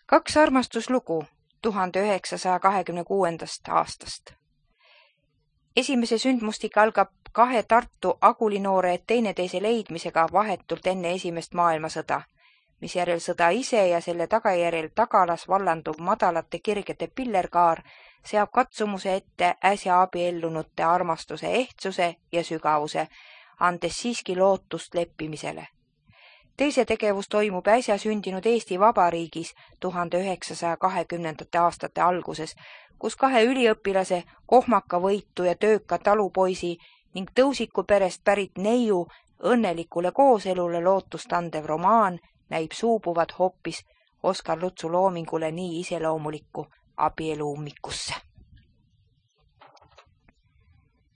Kaks armastuslugu 1926. aastast. Esimese sündmustik algab kahe Tartu agulinoore teineteise leidmisega vahetult enne esimest maailmasõda, misjärel sõda ise ja selle tagajärjel tagalas vallanduv madalate kirgede pillerkaar seab katsumuse ette äsja abiellunute armastuse ehtsuse ja sügavuse, andes siiski lootust leppimisele. Teise tegevus toimub äsja sündinud Eesti Vabariigis 1920. aastate alguses, kus kahe üliõpilase, kohmaka võitu ja tööka talupoisi ning tõusiku perest pärit neiu õnnelikule kooselule lootust andev romaan näib suubuvat hoopis Oskar Lutsu loomingule nii iseloomulikku abielu ummikusse.